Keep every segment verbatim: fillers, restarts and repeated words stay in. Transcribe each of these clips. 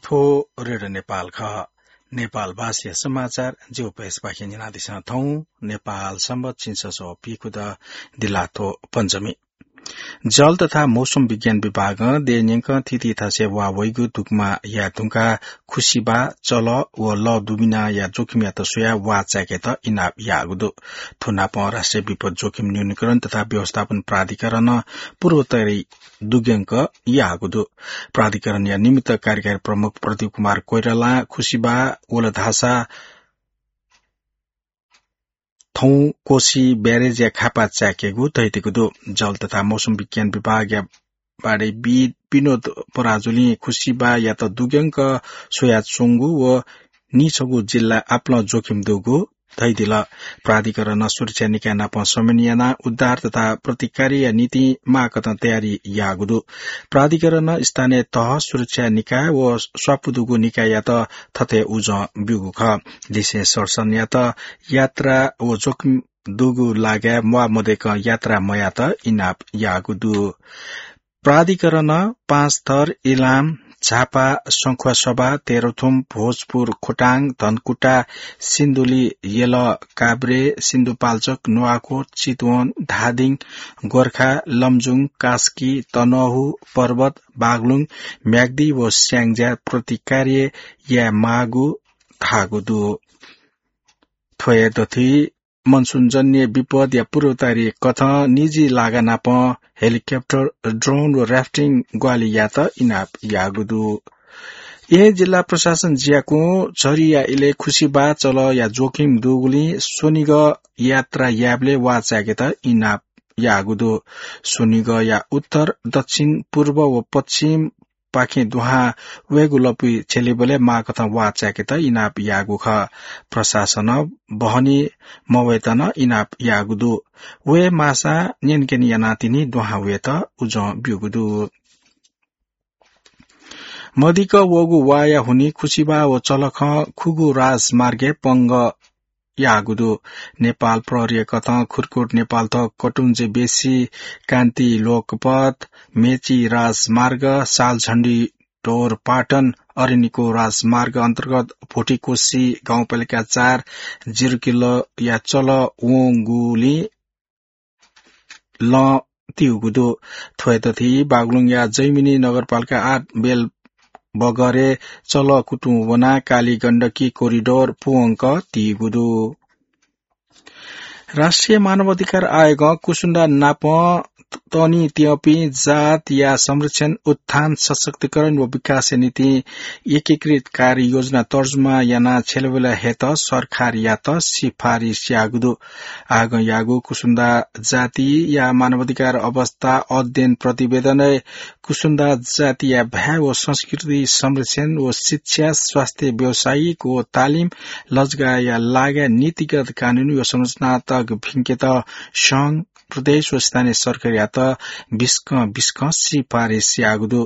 थ्व रेडियो नेपाल खः। नेपाल भाषाया समाचार ज्यू पयसपाखें न्यनादिसँ। थौं नेपाल संवत झिंछसः पीखुदँ दिल्लाथ्व पञ्चमी। जल तथा मौसम विज्ञान विभागं देय् न्यंकं थीथी थासय् वा वइगु धुकुमाया धुंकाः खुसिबा, चलः व लः दुबिनाया जोखिमयात स्वयाः वा चाय्‌केत इनाप याःगु दु। थ्व नापं राष्ट्रिय विपद जोखिम न्यूनीकरण तथा व्यवस्थापन प्राधिकरणं पूर्वतयारी दुग्यंक याःगु दु। प्राधिकरणया निमित्त कार्यकारी प्रमुख प्रदीप कुमार कोइरालां खुसिबा वल धाःसा थौं कोशी ब्यारेजया खापा चाय्‌केगु धयादीगु दु। जल तथा मौसम विज्ञान विभागया बाढैविद् विनोद पराजुलिं खुसिबायात दुग्यंक स्वयाच्वंगु व निछगू जिल्ला आपालं जोखिम दुगु धयादिल। प्राधिकरणं सुरक्षा निकाय नाप समन्वय यानाः उद्धार तथा प्रतिकार्यया निंतिं माःकथं तयारी याःगु दु। प्राधिकरणं स्थानीय तह, सुरक्षा निकाय व स्वापू दुगु निकाययात थथे उजं ब्यूगु खः। लिसें सरसनयात यात्रा व जोखिम दुगु लागाय् म्वाः मदय्‌कं यात्रा मयायेत इनाप याःगु दु। प्राधिकरणं पाँचथर, इलाम, झापा, सखुवासभा, तेह्रथुम, भोजपुर, खोटाङ, धनकुटा, सिन्धुली, यल, काभ्रे, सिन्धुपाल्चोक, नुवाकोट, चितवन, धादिङ, गोर्खा, लमजुङ, कास्की, तनहुँ, पर्वत, बागलुङ, म्याग्दी व स्याङ्जा प्रतिकार्य यायेमाःगु धाःगु दु। थ्व हे दथुइ मनसुनजन्य विपदया पूर्वतयारी कथं निजी लागा नाप हेलिकप्टर, ड्रोन व राफ्टिङ ग्वाहालि यायेत इनाप याःगु दु। येँ जिल्ला प्रशासन ज्याकुं झरीया इलय् खुसिबा चलःया जोखिम दुगुलिं स्वनिगः यात्रा यायेबलय् वा चाय्‌केत इनाप याःगु दु। स्वनिगःया उत्तर, दक्षिण, पूर्व व पश्चिम पाखें दुहां वयेगु लँपुइ छ्यलीबलय् माःकथं वा चाय्‌केत इनाप याःगु खः। प्रशासनं बहनी मवयेत नं इनाप याःगु दु। वये माःसां न्यनेकने यानाः तिनि दुहां वयेत उजं ब्यूगु दु। मदिक्क वःगु वाया हुनिं खुसिबा व चलखं खुगू राजमार्गय् पंगः याःगु दु। नेपाल प्रहरीया कथं खुरकोट नेपालथ्व कटुञ्जे बेसी, कान्ति लोकपथ, मेची राजमार्ग, सालझण्डी ढोरपाटन, अरनिको राजमार्ग अन्तर्गत भोटिकोशी गाउँपालिका चार जिरोकिलोया चलः वंगुलिं लँ तीगु दु। थ्व हे दथुइ बागलुङया जैमिनी नगरपालिका आठ बेलबगरय् चलः कुतुं वनाः काली गण्डकी कोरिडोर पूवंक तीगु दु। राष्ट्रिय मानवाधिकार आयोगं कुसुन्दा नाप तनित्यंपिं जातया संरक्षण, उत्थान, सशक्तिकरण व विकासया निंतिं एकीकृत कार्ययोजना तर्जुमा यानाः छ्यलेबलय् हयेत सरकारयात सिफारिस याःगु दु। आयोगं याःगु कुसुन्दा जातिया मानवाधिकार अवस्था अध्ययन प्रतिवेदनय् कुसुन्दा जातिया भाय् व संस्कृति संरक्षण व शिक्षा, स्वास्थ्य, व्यावसायिक व तालिम, लजगाःया लागाय् नीतिगत कानूनी व संरचनात्मक भिंकेत संघ, प्रदेश व स्थानीय सरकारयात बिस्कं बिस्कं सिफारिस याःगु दु।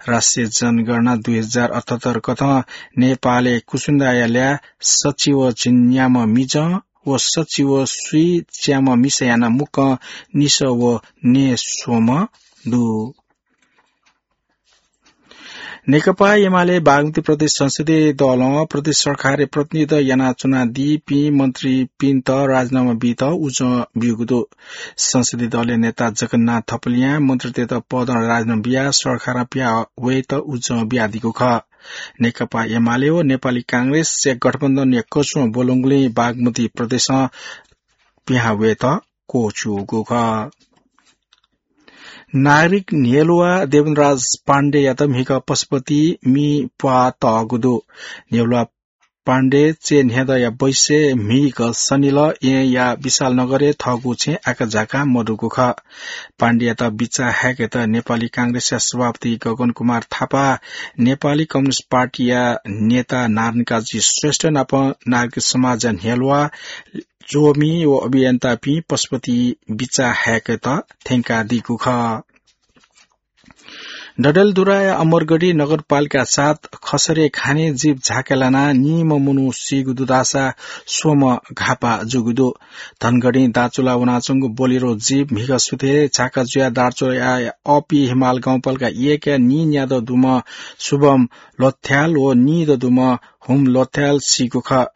राष्ट्रिय जनगणना दुई हजार अठहत्तर कथं नेपालय् कुसुन्दाया ल्याः सच्छि व झिंन्याम्ह मिजं व सच्छि व स्वीच्याम्ह मिसा यानाः मुक्कं निसः व नयेस्वम्ह दु। नेकपा एमाले बागमती प्रदेश संसदीय दलं प्रदेश सरकारय् प्रतिनिधित्व यानाच्वनादीपिं मन्त्रीपिन्त राजीनामा बीत उजं ब्यूगु दु। संसदीय दलया नेता जगन्नाथ थपलियां मन्त्रीतय्त पदं राजीनामा बियाः सरकारं पिहां वयेत उजं बियादीगु खः। नेकपा एमाले व नेपाली कांग्रेसया गठबन्धनया कचुं ब्वलंगुलिं बागमती प्रदेशं पिहां वयेत क्वःछिउगु खः। नागरिक न्ह्यलुवा देवेन्द्रराज पाण्डेयात म्हिगः पशुपति मि प्वाः तःगु दु। न्ह्यलुवा पाण्डे चय् न्ह्यदँया बैसय् म्हिगः सनिलः येँया विशालनगरय् थःगु छेँ आकाझाकां मदुगु खः। पाण्डेयात बिचाः हाय्केत नेपाली कांग्रेसया सभापति गगन कुमार थापा, नेपाली कम्युनिस्ट पार्टीया नेता नारायण काजी श्रेष्ठ नाप नागरिक समाजया न्ह्यलुवा, च्वमि व अभियन्तापिं पशुपति बिचाः हाय्केत थ्यंकादीगु खः। डडेलधुराया अमरगढी नगरपालिका सात खसरे खाने जीप झाके लानाः नीम्ह मनू सीगु दु धाःसा स्वम्ह घाःपाः जूगु दु। धनगढी दाचुला वनाच्वंगु बोलेरो जीप म्हिगः सुथय् झाका जुयाः दार्चुलाया अपि हिमाल गाउँपालिका एकया नीन्यादँ दुम्ह शुभम लोथ्याल व नीदँ दुम्ह हुम लोथ्याल सीगु खः।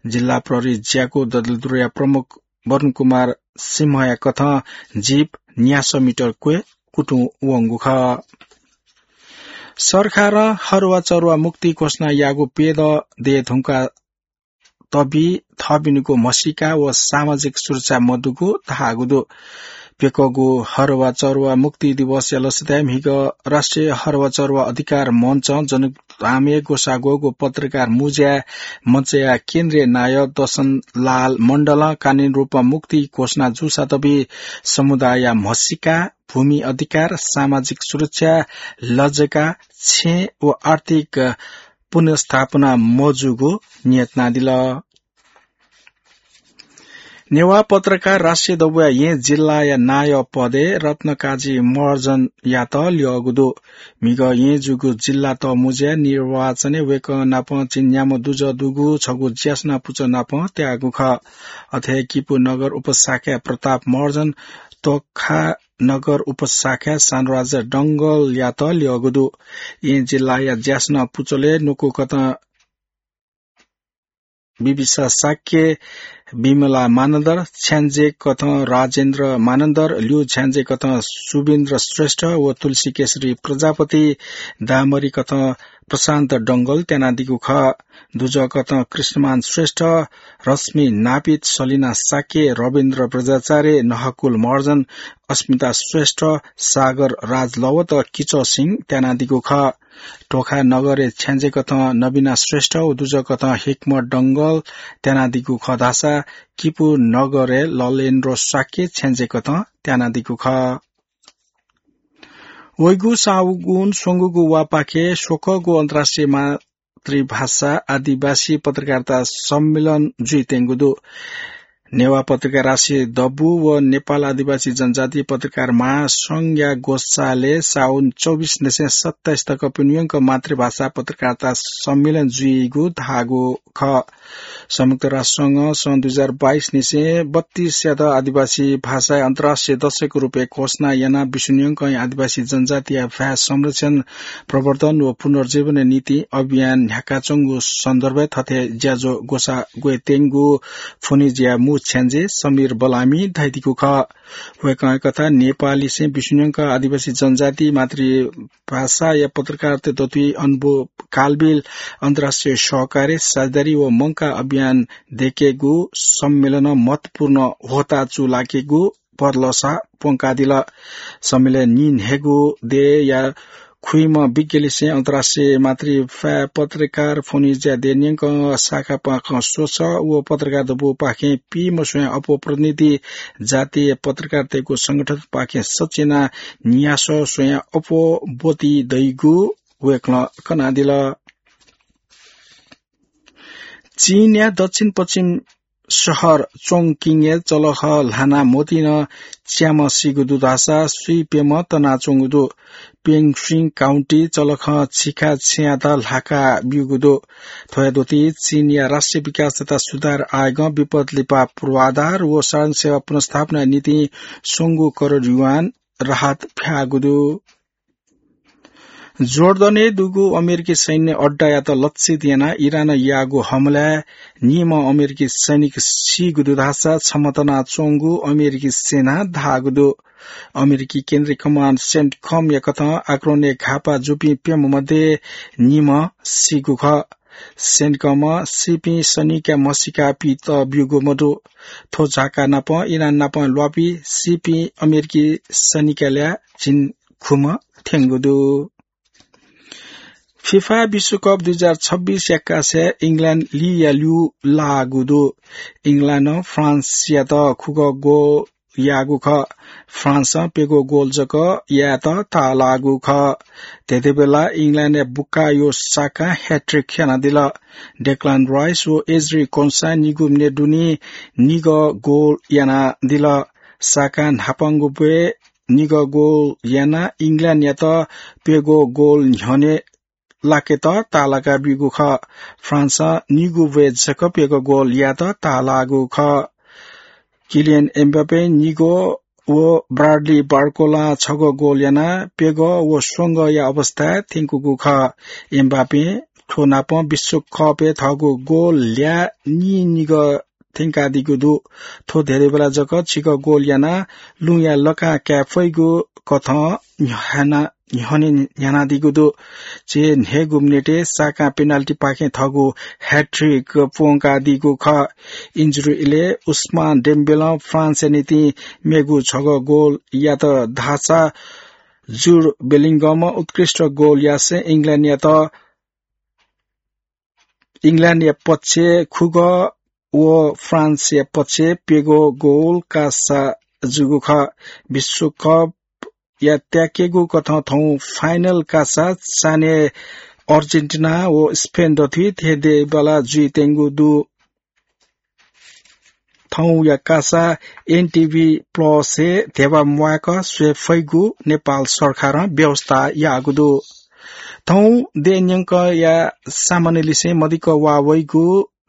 जिल्ला प्रहरी ज्याकू डडेलधुराया प्रमुख वरुण कुमार सिंहया कथं जीप न्यासः मिटर क्वय् कुतुं वंगु खः। सरकारं हरुवा चरुवा मुक्ति घोषणा याःगु प्यदँ दये धुंकाः तबि थःपिनिगु म्हसीका व सामाजिक सुरक्षा मदुगु धाःगु दु। प्यकःगु हरुवा चरुवा मुक्ति दिवसया लसताय् म्हिगः राष्ट्रिय हरुवा चरुवा अधिकार मञ्चं जनकपुर धामय् ग्वसाः ग्वःगु पत्रकार मुँज्याय् मञ्चया केन्द्रीय नायः दशनलाल मण्डलं कानूनी रूपमा मुक्ति घोषणा जूसा तबि समुदायया म्हसीका, भूमि अधिकार, सामाजिक सुरक्षा, लजगा, छेँ व आर्थिक पुनर्स्थापना मजूगु न्यनादिल। नेवाः पत्रकार राष्ट्रिय दबूया येँ जिल्लाया नायः पदय् रत्नकाजी महर्जनयात ल्यःगु दु। म्हिगः येँ जूगु जिल्ला तःमुँज्याय् निर्वाचनय् वय्कः नाप झिंन्याम्ह दुजः दुगु छगू ज्यासना पुचः नाप त्याःगु खः। अथे हे किपू नगर उपशाखाय् प्रताप महर्जन, तोखा नगर उपशाखाय् सानुराजा डंगलयात ल्यःगु दु। येँ जिल्लाया ज्यासना पुचलय् न्वकू कथं बिबिसा शाक्य, विमला मानन्धर, छ्याञ्जे कथं राजेन्द्र मानन्धर, ल्यू छ्याञ्जे कथं सुबिन्द्र श्रेष्ठ व तुलसी केशरी प्रजापति, दामरी कथं प्रशान्त डंगल त्यानादीगु खः। दुजः कथं कृष्णमान श्रेष्ठ, रश्मि नापित, सलिना शाक्य, रविन्द्र बज्राचार्य, नहकुल महर्जन, अस्मिता श्रेष्ठ, सागर राजलवत, किचः सिंह त्यानादीगु खः। तोखा नगरय् छ्याञ्जे कथं नबिना श्रेष्ठ व दुजः कथं हिक्मत डंगल त्यानादीगु खः धाःसा किपू नगरय् ललेन्द्र शाक्य छ्याञ्जे कथं त्यानादीगु खः। वइगु साउन स्वंगूगु वाःपाखे स्वकःगु अन्तर्राष्ट्रिय मातृभाषा आदिवासी पत्रकारिता सम्मेलन जुइत्यंगु दु। नेवाः पत्रकार राष्ट्रिय दबू व नेपाल आदिवासी जनजाति पत्रकार महासंघया ग्वसालय् साउन चौबिस निसें सत्ताइस तक प्यन्हु यंक मातृभाषा पत्रकारिता सम्मेलन जुइगु धाःगु खः। संयुक्त राष्ट्र संघं सन् दुई हजार बाइस निसें बत्तीस यात आदिवासी भाषाया अन्तर्राष्ट्रिय दशक रूपय् घोषणा यानाः बिस्युं न्यंकं आदिवासी जनजातिया भाय् संरक्षण, प्रवर्धन व पुनर्जीवनया निंतिं अभियान न्ह्याकाच्वंगु सन्दर्भय् थथे ज्याझ्वः ग्वसाः ग्वयेत्यंगु फोनिज्या मू छ्याञ्जे समीर बलामीं धयादीगु खः। वय्कःया कथं नेपाललिसें बिस्युं न्यंक आदिवासी जनजाति मातृभाषाया पत्रकारिता दथुइ अनुभव, कालबिल, अन्तर्राष्ट्रिय सहकार्य, साझेदारी व मंकाः अभियान दयेकेगु सम्मेलनं महत्वपूर्ण ह्वःताः चूलाकेगु भलसा प्वंकादिल। सम्मेलनय् नीन्हय्गू देय्‌या खुइम्ह विज्ञलिसें अन्तर्राष्ट्रिय मातृभाषा पत्रकार फोनिज्या देय् न्यंकं शाखापाखें स्वसः व पत्रकार दबूपाखें पीम्ह स्वयां अप्वः प्रतिनिधि, जातीय पत्रकारतय्गु संगठनपाखें सच्यानाः न्यासः स्वयां अप्वः ब्वति दइगु वय्कलं कनादिल। चीनया दक्षिण पश्चिम शहर चोङकिङय् चलख ल्हानाः म्वतिं च्याम्ह सीगु दु धाःसा स्वीप्यम्ह तनाच्वंगु दु। पेङसुइङ काउन्टी चलखं छिखा छेँयात ल्हाका ब्यूगु दु। थ्वया दथुइ चीनया राष्ट्रिय विकास तथा सुधार आयोगं विपद लिपा पूर्वाधार व साधारण सेवा पुनर्स्थापनाया निंतिं स्वंगू करोड युआन राहत फ्याःगु दु। जोर्डनय् दुगु अमेरिकी सैन्य अड्डायात लक्षित यानाः इरानं याःगु हमलाय् नीम्ह अमेरिकी सैनिक सीगु दु धाःसा छम्ह तनाच्वंगु अमेरिकी सेनां धाःगु दु। अमेरिकी केन्द्रीय कमान्ड सेन्टकमया कथं आक्रमणय् घाःपाः जूपिं प्यम्ह मध्ये नीम्ह सीगु खः। सेन्टकमं सीपिं सैनिकया म्हसीका पित ब्यूगु मदु। थ्व झाका नापं इरान नाप ल्वापु सीपिं अमेरिकी सैनिकया ल्याः झिंखुम्ह थ्यंगु दु। फिफा विश्वकप दुई हजार छब्बीस या कासय् इङ्ल्याण्ड लिया ल्यू लाःगु दु। इङ्ल्याण्डं फ्रान्सयात खुगः गोल याःगु खः। फ्रान्सं प्यगः गोल जक यायेत ताःलाःगु खः। थ्यंथें बेला इङ्ल्याण्डया बुकायो साकां ह्याट्रिक यानादिल। डेक्लान राइस व एज्री कोन्सां निगू मिनेट दुने निगः गोल यानादिल। साकां न्हापांगु ब्वय् निगः गोल यानाः इङ्ल्यान्डयात प्यगः गोल न्ह्यःने लाकेत ताःलाका ब्यूगु खः। फ्रान्सं निगू बय् जक प्यगः गोल यायेत ताःलाःगु खः। किलियन एमबापे निगः व ब्राडली बार्कोलां छगः गोल यानाः प्यगः व स्वंगःया अवस्थाय् थ्यंकूगु खः। एमबापें थ्व नापं विश्वकपय् थःगु गोल ल्याः नीनिगः थ्यंकादीगु दु। थ्व धेरैबेला जक झिगः गोल यानाः लुँया लँकां काये फइगु कथं न्ह्याना-, न्ह्यःने न्ह्यानादीगु दु। झिंन्हय्‌गू मिनेटय् साकां पेनाल्टीपाखें थःगु ह्याट्रिक प्वंकादीगु खः। इन्जुरी इलय् उस्मान डेम्बेलं फ्रान्सया निंतिं मेगु छगः गोल यात धाःसा जुड बेलिंगमं उत्कृष्ट गोल यासें इङ्ल्यान्डयात, इङ्ल्यान्डया पक्षय् खुगः व फ्रान्सया पक्षय् प्यगः गोल कासा जूगु खः। विश्वकपया त्याकेगु कथं थौं फाइनल कासा चान्हय् अर्जेन्टिना व स्पेन दथुइ धेंधेंबल्लाः जुइत्यंगु दु। थौंया कासा एनटिभी प्लसय् धेबा म्वायेक स्वये फइगु नेपाल सरकारं व्यवस्था याःगु दु। थौं देय् न्यंकया सामान्य लिसें मदिक्क वा वइगु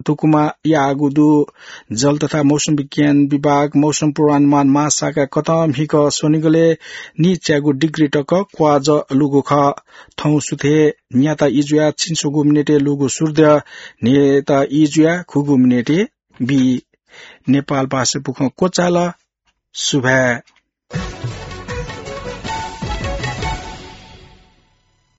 धुकुमा याःगु दु। जल तथा मौसम विज्ञान विभाग मौसम पूर्वानुमान महाशाखा कथं म्हिगः स्वनिगलय् निच्यागू डिग्री तक क्वाःजः लूगु खः। थौं सुथय् न्याता ई जुयाः छिन्स्वगू मिनेटय् लूगु सूर्द्यः न्हय्‌ता ई जुयाः खुगू मिनेटय् बी। नेपाल भाषा बुखँ क्वचाल। सुभाय्।